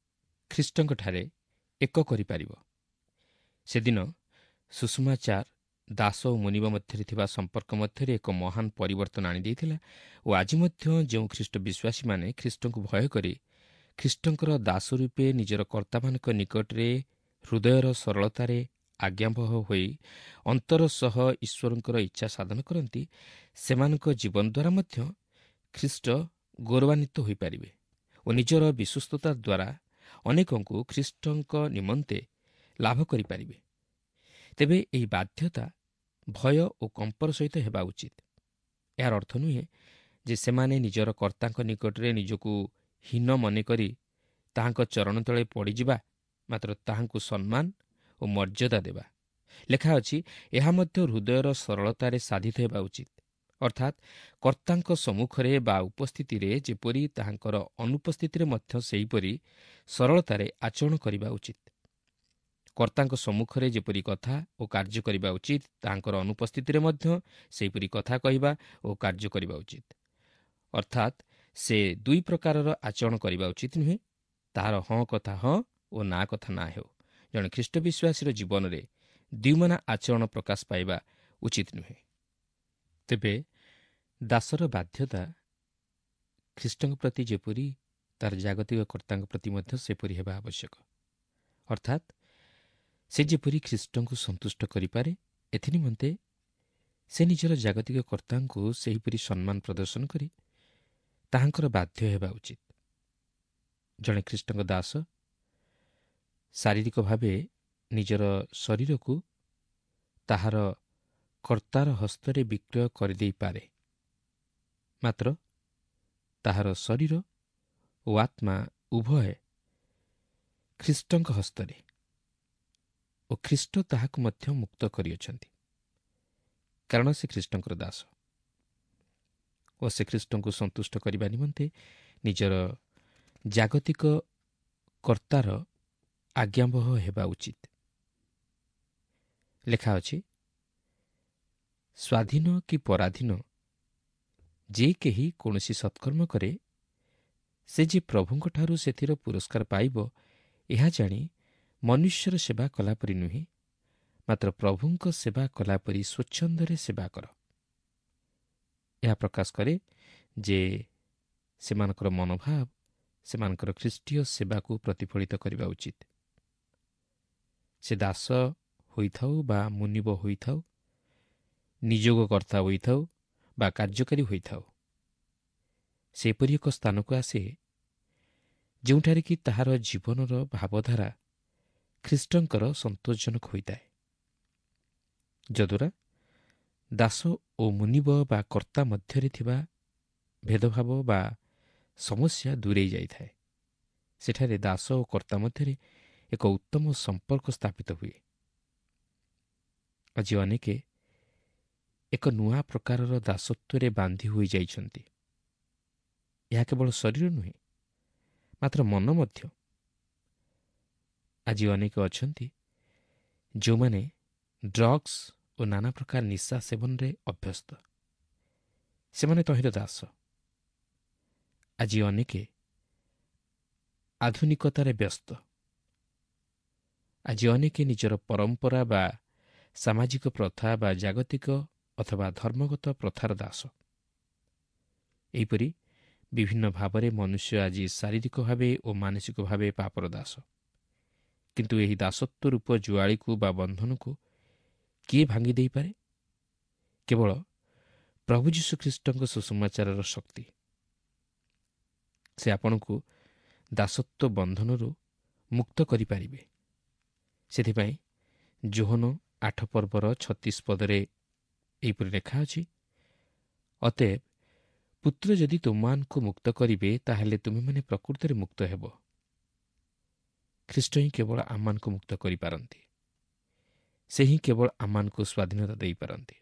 ଖ୍ରୀଷ୍ଟଙ୍କଠାରେ ଏକ କରିପାରିବ। ସେଦିନ ସୁଷମାଚାର ଦାସ ଓ ମୁନିବ ମଧ୍ୟରେ ଥିବା ସମ୍ପର୍କ ମଧ୍ୟରେ ଏକ ମହାନ ପରିବର୍ତ୍ତନ ଆଣିଦେଇଥିଲା ଓ ଆଜି ମଧ୍ୟ ଯେଉଁ ଖ୍ରୀଷ୍ଟ ବିଶ୍ୱାସୀମାନେ ଖ୍ରୀଷ୍ଟଙ୍କୁ ଭୟ କରି ଖ୍ରୀଷ୍ଟଙ୍କର ଦାସ ରୂପେ ନିଜର କର୍ତ୍ତାମାନଙ୍କ ନିକଟରେ ହୃଦୟର ସରଳତାରେ ଆଜ୍ଞାବହ ହୋଇ ଅନ୍ତର ସହ ଈଶ୍ୱରଙ୍କର ଇଚ୍ଛା ସାଧନ କରନ୍ତି, ସେମାନଙ୍କ ଜୀବନ ଦ୍ୱାରା ମଧ୍ୟ ଖ୍ରୀଷ୍ଟ ଗୌରବାନ୍ୱିତ ହୋଇପାରିବେ ଓ ନିଜର ବିଶ୍ୱସ୍ତତା ଦ୍ୱାରା ଅନେକଙ୍କୁ ଖ୍ରୀଷ୍ଟଙ୍କ ନିମନ୍ତେ ଲାଭ କରିପାରିବେ। ତେବେ ଏହି ବାଧ୍ୟତା ଭୟ ଓ କମ୍ପର ସହିତ ହେବା ଉଚିତ। ଏହାର ଅର୍ଥ ନୁହେଁ ଯେ ସେମାନେ ନିଜର କର୍ତ୍ତାଙ୍କ ନିକଟରେ ନିଜକୁ ହୀନ ମନେକରି ତାହାଙ୍କ ଚରଣ ତଳେ ପଡ଼ିଯିବା, ମାତ୍ର ତାହାଙ୍କୁ ସମ୍ମାନ ଓ ମର୍ଯ୍ୟାଦା ଦେବା। ଲେଖା ଅଛି, ଏହା ମଧ୍ୟ ହୃଦୟର ସରଳତାରେ ସାଧିତ ହେବା ଉଚିତ। ଅର୍ଥାତ୍ କର୍ତ୍ତାଙ୍କ ସମ୍ମୁଖରେ ବା ଉପସ୍ଥିତିରେ ଯେପରି ତାହାଙ୍କର ଅନୁପସ୍ଥିତିରେ ମଧ୍ୟ ସେହିପରି ସରଳତାରେ ଆଚରଣ କରିବା ଉଚିତ। କର୍ତ୍ତାଙ୍କ ସମ୍ମୁଖରେ ଯେପରି କଥା ଓ କାର୍ଯ୍ୟ କରିବା ଉଚିତ, ତାହାଙ୍କର ଅନୁପସ୍ଥିତିରେ ମଧ୍ୟ ସେହିପରି କଥା କହିବା ଓ କାର୍ଯ୍ୟ କରିବା ଉଚିତ। ଅର୍ଥାତ୍ ସେ ଦୁଇ ପ୍ରକାରର ଆଚରଣ କରିବା ଉଚିତ ନୁହେଁ, ତାହାର ହଁ କଥା ହଁ ଓ ନା କଥା ନା ହେଉ। ଜଣେ ଖ୍ରୀଷ୍ଟ ବିଶ୍ୱାସୀର ଜୀବନରେ ଦ୍ୱିମନା ଆଚରଣ ପ୍ରକାଶ ପାଇବା ଉଚିତ ନୁହେଁ। ତେବେ ଦାସର ବାଧ୍ୟତା ଖ୍ରୀଷ୍ଟଙ୍କ ପ୍ରତି ଯେପରି, ତାର ଜାଗତିକ କର୍ତ୍ତାଙ୍କ ପ୍ରତି ମଧ୍ୟ ସେପରି ହେବା ଆବଶ୍ୟକ। ଅର୍ଥାତ୍ ସେ ଯେପରି ଖ୍ରୀଷ୍ଟଙ୍କୁ ସନ୍ତୁଷ୍ଟ କରିପାରେ, ଏଥିନିମନ୍ତେ ସେ ନିଜର ଜାଗତିକ କର୍ତ୍ତାଙ୍କୁ ସେହିପରି ସମ୍ମାନ ପ୍ରଦର୍ଶନ କରି ତାହାଙ୍କର ବାଧ୍ୟ ହେବା ଉଚିତ। ଜଣେ ଖ୍ରୀଷ୍ଟଙ୍କ ଦାସ ଶାରୀରିକ ଭାବେ ନିଜର ଶରୀରକୁ ତାହାର କର୍ତ୍ତାର ହସ୍ତରେ ବିକ୍ରୟ କରିଦେଇପାରେ, ମାତ୍ର ତାହାର ଶରୀର ଓ ଆତ୍ମା ଉଭୟ ଖ୍ରୀଷ୍ଟଙ୍କ ହସ୍ତରେ ଓ ଖ୍ରୀଷ୍ଟ ତାହାକୁ ମଧ୍ୟ ମୁକ୍ତ କରିଅଛନ୍ତି, କାରଣ ସେ ଖ୍ରୀଷ୍ଟଙ୍କର ଦାସ ଓ ସେ ଖ୍ରୀଷ୍ଟଙ୍କୁ ସନ୍ତୁଷ୍ଟ କରିବା ନିମନ୍ତେ ନିଜର ଜାଗତିକ କର୍ତ୍ତାର ଆଜ୍ଞାବହ ହେବା ଉଚିତ। ଲେଖା ଅଛି, ସ୍ୱାଧୀନ କି ପରାଧୀନ ଯେ କେହି କୌଣସି ସତ୍କର୍ମ କରେ, ସେ ଯେ ପ୍ରଭୁଙ୍କଠାରୁ ସେଥିର ପୁରସ୍କାର ପାଇବ, ଏହା ଜାଣି ମନୁଷ୍ୟର ସେବା କଲାପରି ନୁହେଁ, ମାତ୍ର ପ୍ରଭୁଙ୍କ ସେବା କଲାପରି ସ୍ୱଚ୍ଛନ୍ଦରେ ସେବା କର। ଏହା ପ୍ରକାଶ କରେ ଯେ ସେମାନଙ୍କର ମନୋଭାବ ସେମାନଙ୍କର ଖ୍ରୀଷ୍ଟୀୟ ସେବାକୁ ପ୍ରତିଫଳିତ କରିବା ଉଚିତ। ସେ ଦାସ ହୋଇଥାଉ ବା ମୁନିବ ହୋଇଥାଉ, ନିଯୋଗକର୍ତ୍ତା ହୋଇଥାଉ ବା କାର୍ଯ୍ୟକାରୀ ହୋଇଥାଉ, ସେପରି ଏକ ସ୍ଥାନକୁ ଆସେ ଯେଉଁଠାରେ କି ତାହାର ଜୀବନର ଭାବଧାରା ଖ୍ରୀଷ୍ଟଙ୍କର ସନ୍ତୋଷଜନକ ହୋଇଥାଏ, ଯଦ୍ୱାରା ଦାସ ଓ ମୁନିବ ବା କର୍ତ୍ତା ମଧ୍ୟରେ ଥିବା ଭେଦଭାବ ବା ସମସ୍ୟା ଦୂରେଇ ଯାଇଥାଏ। ସେଠାରେ ଦାସ ଓ କର୍ତ୍ତା ମଧ୍ୟରେ ଏକ ଉତ୍ତମ ସମ୍ପର୍କ ସ୍ଥାପିତ ହୁଏ। ଆଜି ଅନେକେ ଏକ ନୂଆ ପ୍ରକାରର ଦାସତ୍ୱରେ ବାନ୍ଧି ହୋଇଯାଇଛନ୍ତି। ଏହା କେବଳ ଶରୀର ନୁହେଁ, ମାତ୍ର ମନ ମଧ୍ୟ। ଆଜି ଅନେକ ଅଛନ୍ତି ଯେଉଁମାନେ ଡ୍ରଗ୍ସ ଓ ନାନା ପ୍ରକାର ନିଶା ସେବନରେ ଅଭ୍ୟସ୍ତ, ସେମାନେ ତହିଁର ଦାସ। ଆଜି ଅନେକେ ଆଧୁନିକତାରେ ବ୍ୟସ୍ତ। ଆଜି ଅନେକେ ନିଜର ପରମ୍ପରା ବା ସାମାଜିକ ପ୍ରଥା ବା ଜାଗତିକ ଅଥବା ଧର୍ମଗତ ପ୍ରଥାର ଦାସ। ଏହିପରି ବିଭିନ୍ନ ଭାବରେ ମନୁଷ୍ୟ ଆଜି ଶାରୀରିକ ଭାବେ ଓ ମାନସିକ ଭାବେ ପାପର ଦାସ। କିନ୍ତୁ ଏହି ଦାସତ୍ୱ ରୂପ ଜୁଆଳିକୁ ବା ବନ୍ଧନକୁ କିଏ ଭାଙ୍ଗି ଦେଇପାରେ? କେବଳ ପ୍ରଭୁ ଯୀଶୁଖ୍ରୀଷ୍ଟଙ୍କ ସୁସମାଚାରର ଶକ୍ତି। ସେ ଆପଣଙ୍କୁ ଦାସତ୍ୱ ବନ୍ଧନରୁ ମୁକ୍ତ କରିପାରିବେ। ସେଥିପାଇଁ ଯୋହନ ଆଠ ପର୍ବର ଛତିଶ ପଦରେ ଏହିପରି ଲେଖା ଅଛି, ଅତଏବ ପୁତ୍ର ଯଦି ତୁମମାନଙ୍କୁ ମୁକ୍ତ କରିବେ, ତାହେଲେ ତୁମେମାନେ ପ୍ରକୃତରେ ମୁକ୍ତ ହେବ। ଖ୍ରୀଷ୍ଟ ହିଁ କେବଳ ଆମମାନଙ୍କୁ ମୁକ୍ତ କରିପାରନ୍ତି। ସେ ହିଁ କେବଳ ଆମମାନଙ୍କୁ ସ୍ୱାଧୀନତା ଦେଇପାରନ୍ତି।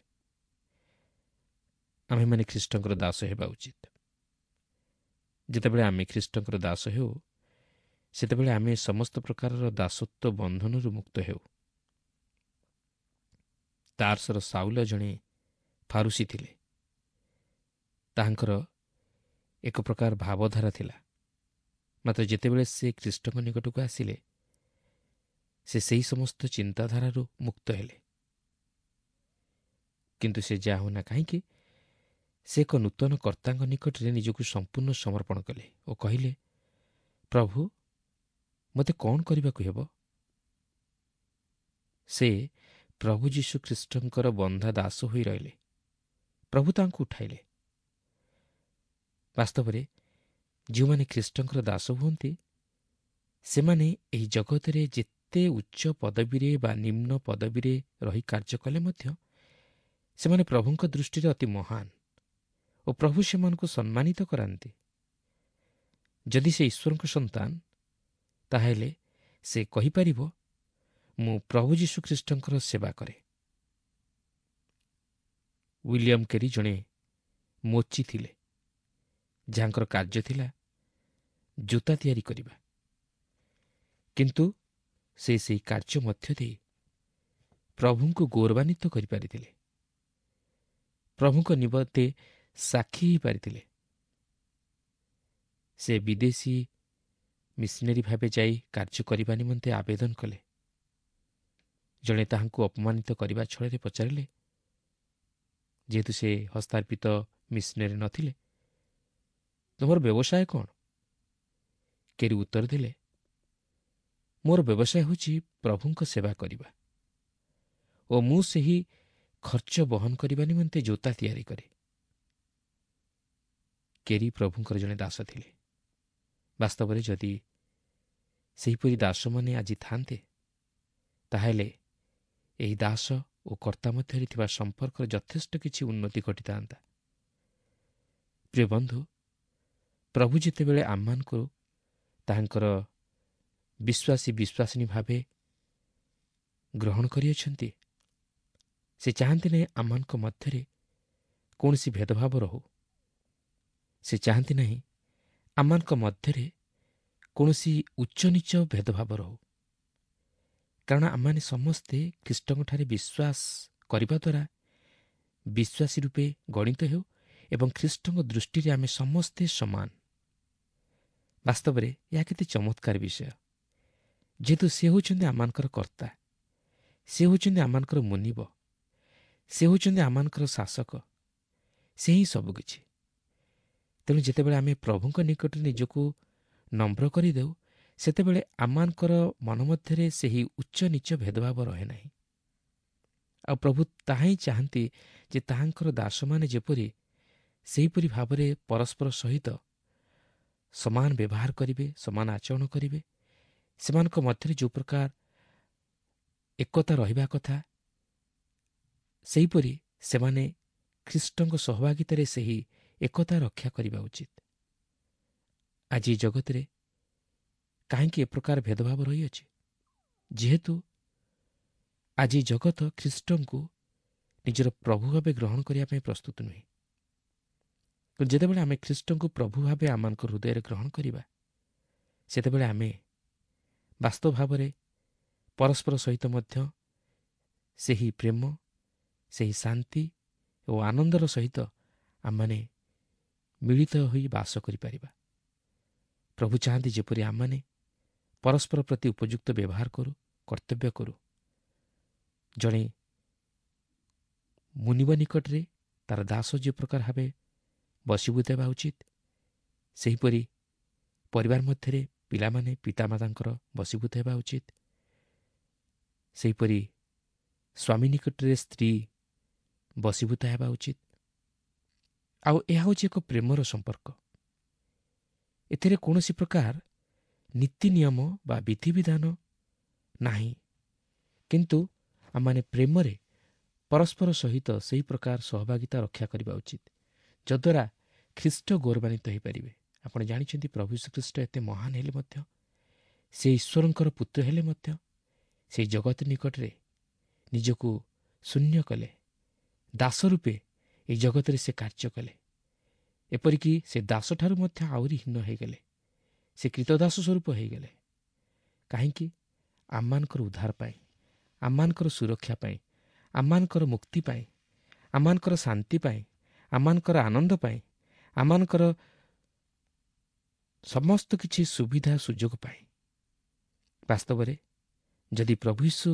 ଆମେମାନେ ଖ୍ରୀଷ୍ଟଙ୍କର ଦାସ ହେବା ଉଚିତ। ଯେତେବେଳେ ଆମେ ଖ୍ରୀଷ୍ଟଙ୍କର ଦାସ ହେଉ, ସେତେବେଳେ ଆମେ ସମସ୍ତ ପ୍ରକାରର ଦାସତ୍ୱ ବନ୍ଧନରୁ ମୁକ୍ତ ହେଉ। ତାର୍ସର ସାଉଲ ଜଣେ ଫାରୁସୀ ଥିଲେ। ତାହାଙ୍କର ଏକ ପ୍ରକାର ଭାବଧାରା ଥିଲା। ମାତ୍ର ଯେତେବେଳେ ସେ ଖ୍ରୀଷ୍ଟଙ୍କ ନିକଟକୁ ଆସିଲେ, ସେ ସେହି ସମସ୍ତ ଚିନ୍ତାଧାରାରୁ ମୁକ୍ତ ହେଲେ। କିନ୍ତୁ ସେ ଯାହା ହେଉନା କାହିଁକି, ସେ ଏକ ନୂତନ କର୍ତ୍ତାଙ୍କ ନିକଟରେ ନିଜକୁ ସମ୍ପୂର୍ଣ୍ଣ ସମର୍ପଣ କଲେ ଓ କହିଲେ, ପ୍ରଭୁ, ମୋତେ କ'ଣ କରିବାକୁ ହେବ? ସେ ପ୍ରଭୁ ଯୀଶୁ ଖ୍ରୀଷ୍ଟଙ୍କର ବନ୍ଧା ଦାସ ହୋଇ ରହିଲେ। ପ୍ରଭୁ ତାଙ୍କୁ ଉଠାଇଲେ। ବାସ୍ତବରେ ଯେଉଁମାନେ ଖ୍ରୀଷ୍ଟଙ୍କର ଦାସ ହୁଅନ୍ତି, ସେମାନେ ଏହି ଜଗତରେ ଯେତେ ଉଚ୍ଚ ପଦବୀରେ ବା ନିମ୍ନ ପଦବୀରେ ରହି କାର୍ଯ୍ୟ କଲେ ମଧ୍ୟ ସେମାନେ ପ୍ରଭୁଙ୍କ ଦୃଷ୍ଟିରେ ଅତି ମହାନ ଓ ପ୍ରଭୁ ସେମାନଙ୍କୁ ସମ୍ମାନିତ କରାନ୍ତି। ଯଦି ସେ ଈଶ୍ୱରଙ୍କ ସନ୍ତାନ, ତାହେଲେ ସେ କହିପାରିବ, ମୁଁ ପ୍ରଭୁ ଯୀଶୁ ଖ୍ରୀଷ୍ଟଙ୍କର ସେବା କରେ। ୱିଲିୟମ୍ କେରି ଜଣେ ମୋଚି ଥିଲେ, ଯାହାଙ୍କର କାର୍ଯ୍ୟ ଥିଲା ଜୋତା ତିଆରି କରିବା। କିନ୍ତୁ ସେ ସେହି କାର୍ଯ୍ୟ ମଧ୍ୟ ଦେଇ ପ୍ରଭୁଙ୍କୁ ଗୌରବାନ୍ୱିତ କରିପାରିଥିଲେ, ପ୍ରଭୁଙ୍କ ନିମନ୍ତେ ସାକ୍ଷୀ ହୋଇପାରିଥିଲେ। ସେ ବିଦେଶୀ ମିଶନାରୀ ଭାବେ ଯାଇ କାର୍ଯ୍ୟ କରିବା ନିମନ୍ତେ ଆବେଦନ କଲେ। ଜଣେ ତାହାଙ୍କୁ ଅପମାନିତ କରିବା ଛଳରେ ପଚାରିଲେ, ଯେହେତୁ ସେ ହସ୍ତାର୍ପିତ ମିଶନାରୀ ନଥିଲେ, ତୁମର ବ୍ୟବସାୟ କ'ଣ? କେରି ଉତ୍ତର ଦେଲେ, ମୋର ବ୍ୟବସାୟ ହେଉଛି ପ୍ରଭୁଙ୍କ ସେବା କରିବା ଓ ମୁଁ ସେହି ଖର୍ଚ୍ଚ ବହନ କରିବା ନିମନ୍ତେ ଜୋତା ତିଆରି କରେ। କେରି ପ୍ରଭୁଙ୍କର ଜଣେ ଦାସ ଥିଲେ। ବାସ୍ତବରେ ଯଦି ସେହିପରି ଦାସମାନେ ଆଜି ଥାନ୍ତେ, ତାହେଲେ ଏହି ଦାସ ଓ କର୍ତ୍ତା ମଧ୍ୟରେ ଥିବା ସମ୍ପର୍କର ଯଥେଷ୍ଟ କିଛି ଉନ୍ନତି ଘଟିଥାନ୍ତା। ପ୍ରିୟ ବନ୍ଧୁ, ପ୍ରଭୁ ଯେତେବେଳେ ଆମମାନଙ୍କୁ ତାହାଙ୍କର ବିଶ୍ୱାସୀ ବିଶ୍ୱାସିନୀ ଭାବେ ଗ୍ରହଣ କରିଅଛନ୍ତି, ସେ ଚାହାନ୍ତି ନାହିଁ ଆମମାନଙ୍କ ମଧ୍ୟରେ କୌଣସି ଭେଦଭାବ ରହୁ। ସେ ଚାହାନ୍ତି ନାହିଁ ଆମମାନଙ୍କ ମଧ୍ୟରେ କୌଣସି ଉଚ୍ଚନୀଚ ଭେଦଭାବ ରହୁ, କାରଣ ଆମମାନେ ସମସ୍ତେ ଖ୍ରୀଷ୍ଟଙ୍କଠାରେ ବିଶ୍ୱାସ କରିବା ଦ୍ୱାରା ବିଶ୍ୱାସୀ ରୂପେ ଗଣିତ ହେଉ ଏବଂ ଖ୍ରୀଷ୍ଟଙ୍କ ଦୃଷ୍ଟିରେ ଆମେ ସମସ୍ତେ ସମାନ। ବାସ୍ତବରେ ଏହା କେତେ ଚମତ୍କାର ବିଷୟ, ଯେହେତୁ ସେ ହେଉଛନ୍ତି ଆମମାନଙ୍କର କର୍ତ୍ତା, ସେ ହେଉଛନ୍ତି ଆମମାନଙ୍କର ମୁନିବ, ସେ ହେଉଛନ୍ତି ଆମମାନଙ୍କର ଶାସକ, ସେ ହିଁ ସବୁକିଛି। ତେଣୁ ଯେତେବେଳେ ଆମେ ପ୍ରଭୁଙ୍କ ନିକଟରେ ନିଜକୁ ନମ୍ର କରିଦେଉ, ସେତେବେଳେ ଆମମାନଙ୍କର ମନ ମଧ୍ୟରେ ସେହି ଉଚ୍ଚ ନୀଚ ଭେଦଭାବ ରହେ ନାହିଁ। ଆଉ ପ୍ରଭୁ ତାହା ହିଁ ଚାହାନ୍ତି ଯେ ତାହାଙ୍କର ଦାସମାନେ ଯେପରି ସେହିପରି ଭାବରେ ପରସ୍ପର ସହିତ ସମାନ ବ୍ୟବହାର କରିବେ, ସମାନ ଆଚରଣ କରିବେ। ସେମାନଙ୍କ ମଧ୍ୟରେ ଯେଉଁ ପ୍ରକାର ଏକତା ରହିବା କଥା, ସେହିପରି ସେମାନେ ଖ୍ରୀଷ୍ଟଙ୍କ ସହଭାଗିତାରେ ସେହି ଏକତା ରକ୍ଷା କରିବା ଉଚିତ। ଆଜି ଜଗତରେ କାହିଁକି ଏ ପ୍ରକାର ଭେଦଭାବ ରହିଅଛି? ଯେହେତୁ ଆଜି ଜଗତ ଖ୍ରୀଷ୍ଟଙ୍କୁ ନିଜର ପ୍ରଭୁ ଭାବେ ଗ୍ରହଣ କରିବା ପାଇଁ ପ୍ରସ୍ତୁତ ନୁହେଁ। କିନ୍ତୁ ଯେତେବେଳେ ଆମେ ଖ୍ରୀଷ୍ଟଙ୍କୁ ପ୍ରଭୁ ଭାବେ ଆମମାନଙ୍କ ହୃଦୟରେ ଗ୍ରହଣ କରିବା, ସେତେବେଳେ ଆମେ ବାସ୍ତବ ଭାବରେ ପରସ୍ପର ସହିତ ମଧ୍ୟ ସେହି ପ୍ରେମ, ସେହି ଶାନ୍ତି ଓ ଆନନ୍ଦର ସହିତ ଆମମାନେ ମିଳିତ ହୋଇ ବାସ କରିପାରିବା। ପ୍ରଭୁ ଚାହାନ୍ତି ଯେପରି ଆମମାନେ ପରସ୍ପର ପ୍ରତି ଉପଯୁକ୍ତ ବ୍ୟବହାର କରୁ, କର୍ତ୍ତବ୍ୟ କରୁ। ଜଣେ ମୁନିବ ନିକଟରେ ତାର ଦାସ ଯେ ପ୍ରକାର ଭାବେ ବଶୀଭୂତ ହେବା ଉଚିତ, ସେହିପରି ପରିବାର ମଧ୍ୟରେ ପିଲାମାନେ ପିତାମାତାଙ୍କର ବଶୀଭୂତ ହେବା ଉଚିତ। ସେହିପରି ସ୍ୱାମୀ ନିକଟରେ ସ୍ତ୍ରୀ ବଶୀଭୂତ ହେବା ଉଚିତ। ଆଉ ଏହା ହେଉଛି ଏକ ପ୍ରେମର ସମ୍ପର୍କ। ଏଥିରେ କୌଣସି ପ୍ରକାର ନୀତି ନିୟମ ବା ବିଧିବିଧାନ ନାହିଁ, କିନ୍ତୁ ଆମମାନେ ପ୍ରେମରେ ପରସ୍ପର ସହିତ ସେହି ପ୍ରକାର ସହଭାଗିତା ରକ୍ଷା କରିବା ଉଚିତ, ଯଦ୍ୱାରା ଖ୍ରୀଷ୍ଟ ଗୌରବାନ୍ୱିତ ହୋଇପାରିବେ। ଆପଣ ଜାଣିଛନ୍ତି, ପ୍ରଭୁ ଯୀଶୁଖ୍ରୀଷ୍ଟ ଏତେ ମହାନ ହେଲେ ମଧ୍ୟ, ସେ ଈଶ୍ୱରଙ୍କର ପୁତ୍ର ହେଲେ ମଧ୍ୟ, ସେହି ଜଗତ ନିକଟରେ ନିଜକୁ ଶୂନ୍ୟ କଲେ, ଦାସ ରୂପେ ଏହି ଜଗତରେ ସେ କାର୍ଯ୍ୟ କଲେ। ଏପରିକି ସେ ଦାସଠାରୁ ମଧ୍ୟ ଆହୁରି ହୀନ ହୋଇଗଲେ, ସେ କୃତଦାସ ସ୍ୱରୂପ ହୋଇଗଲେ। କାହିଁକି? ଆମମାନଙ୍କର ଉଦ୍ଧାର ପାଇଁ, ଆମମାନଙ୍କର ସୁରକ୍ଷା ପାଇଁ, ଆମମାନଙ୍କର ମୁକ୍ତି ପାଇଁ, ଆମମାନଙ୍କର ଶାନ୍ତି ପାଇଁ, ଆମମାନଙ୍କର ଆନନ୍ଦ ପାଇଁ, ଆମମାନଙ୍କର ସମସ୍ତ କିଛି ସୁବିଧା ସୁଯୋଗ ପାଇଁ। ବାସ୍ତବରେ ଯଦି ପ୍ରଭୁ ଯୀଶୁ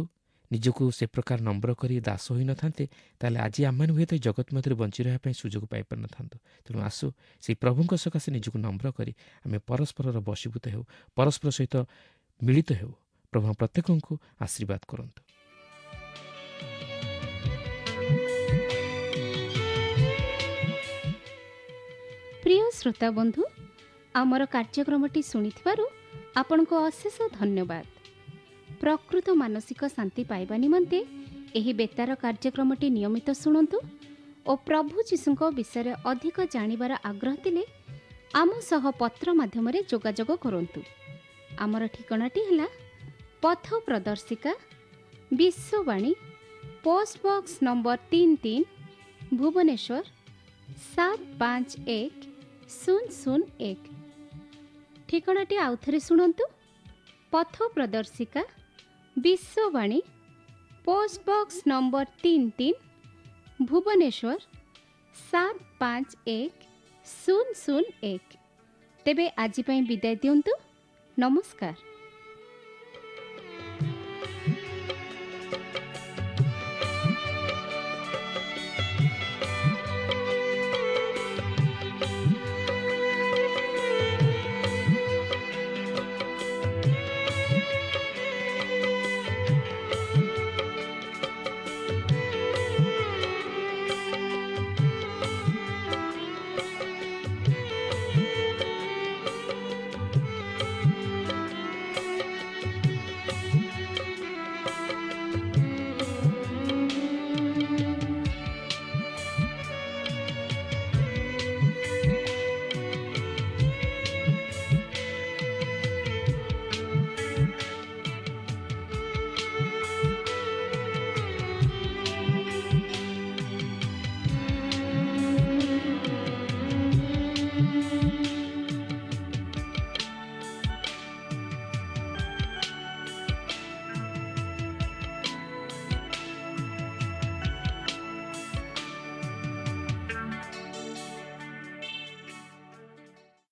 ନିଜକୁ ସେ ପ୍ରକାର ନମ୍ର କରି ଦାସ ହୋଇନଥାନ୍ତେ, ତାହେଲେ ଆଜି ଆମମାନେ ହୁଏତ ଜଗତ ମଧ୍ୟରେ ବଞ୍ଚି ରହିବା ପାଇଁ ସୁଯୋଗ ପାଇପାରିନଥାନ୍ତୁ। ତେଣୁ ଆସୁ ସେଇ ପ୍ରଭୁଙ୍କ ସକାଶେ ନିଜକୁ ନମ୍ର କରି ଆମେ ପରସ୍ପରର ବଶୀଭୂତ ହେଉ, ପରସ୍ପର ସହିତ ମିଳିତ ହେଉ। ପ୍ରଭୁ ପ୍ରତ୍ୟେକଙ୍କୁ ଆଶୀର୍ବାଦ କରନ୍ତୁ। ପ୍ରିୟ ଶ୍ରୋତା ବନ୍ଧୁ, ଆମର କାର୍ଯ୍ୟକ୍ରମଟି ଶୁଣିଥିବାରୁ ଆପଣଙ୍କୁ ଅଶେଷ ଧନ୍ୟବାଦ। ପ୍ରକୃତ ମାନସିକ ଶାନ୍ତି ପାଇବା ନିମନ୍ତେ ଏହି ବେତାର କାର୍ଯ୍ୟକ୍ରମଟି ନିୟମିତ ଶୁଣନ୍ତୁ ଓ ପ୍ରଭୁ ଯୀଶୁଙ୍କ ବିଷୟରେ ଅଧିକ ଜାଣିବାର ଆଗ୍ରହ ଥିଲେ ଆମ ସହ ପତ୍ର ମାଧ୍ୟମରେ ଯୋଗାଯୋଗ କରନ୍ତୁ। ଆମର ଠିକଣାଟି ହେଲା ପଥ ପ୍ରଦର୍ଶିକା, ବିଶ୍ୱବାଣୀ, ପୋଷ୍ଟ ବକ୍ସ ନମ୍ବର ତିନି ତିନି, ଭୁବନେଶ୍ୱର ସାତ ପାଞ୍ଚ ଏକ ଶୂନ ଶୂନ ଏକ। ଠିକଣାଟି ଆଉଥରେ ଶୁଣନ୍ତୁ: ପଥ ପ୍ରଦର୍ଶିକା, ବିଶ୍ୱବାଣୀ, ପୋଷ୍ଟ ବକ୍ସ ନମ୍ବର ତିନି ତିନି, ଭୁବନେଶ୍ୱର ସାତ ପାଞ୍ଚ ଏକ ଶୂନ ଶୂନ ଏକ। ତେବେ ଆଜି ପାଇଁ ବିଦାୟ ଦିଅନ୍ତୁ। ନମସ୍କାର।